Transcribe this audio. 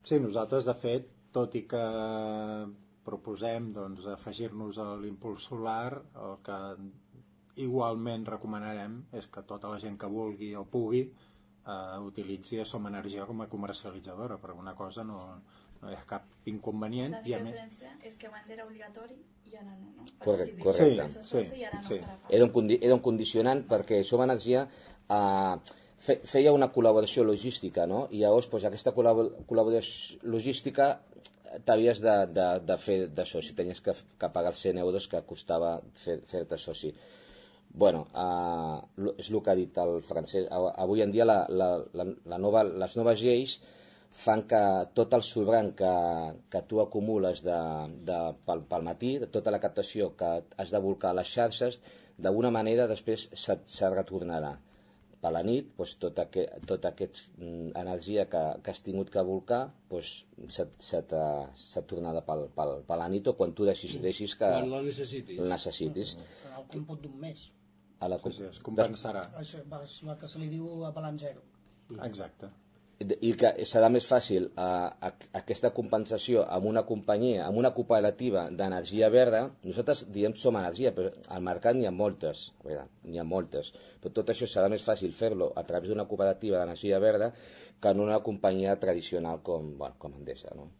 Sí, nosaltres, de fet, tot i que proposem afegir-nos a l'impuls solar, el que igualment recomanarem és que tota la gent que vulgui o pugui utilitzi Som Energia com a comercialitzadora, però una cosa no hi ha cap inconvenient. La diferència és que abans era obligatori i ara no. Correcte. Sí. Era un condicionant perquè Som Energia feia una col·laboració logística, no? I llavors aquesta col·laboració logística t'havies de fer de soci, tenies que pagar els 100 euros que costava fer-te soci. Bueno, és el que ha dit el Francesc. Avui en dia les noves lleis fan que tot el sobrant que tu acumules pel matí, tota la captació que has de volcar a les xarxes, d'alguna manera després se retornarà. Per la nit, tota aquesta energia que has tingut que volcar s'ha tornat per la nit o quan tu deixis que la necessitis. El còmput d'un mes. Es compensarà. És el que se li diu a balanç zero. Exacte. I que serà més fàcil aquesta compensació amb una companyia, amb una cooperativa d'energia verda. Nosaltres diem Som Energia, però al mercat n'hi ha moltes, però tot això serà més fàcil fer-lo a través d'una cooperativa d'energia verda que en una companyia tradicional com Endesa, no?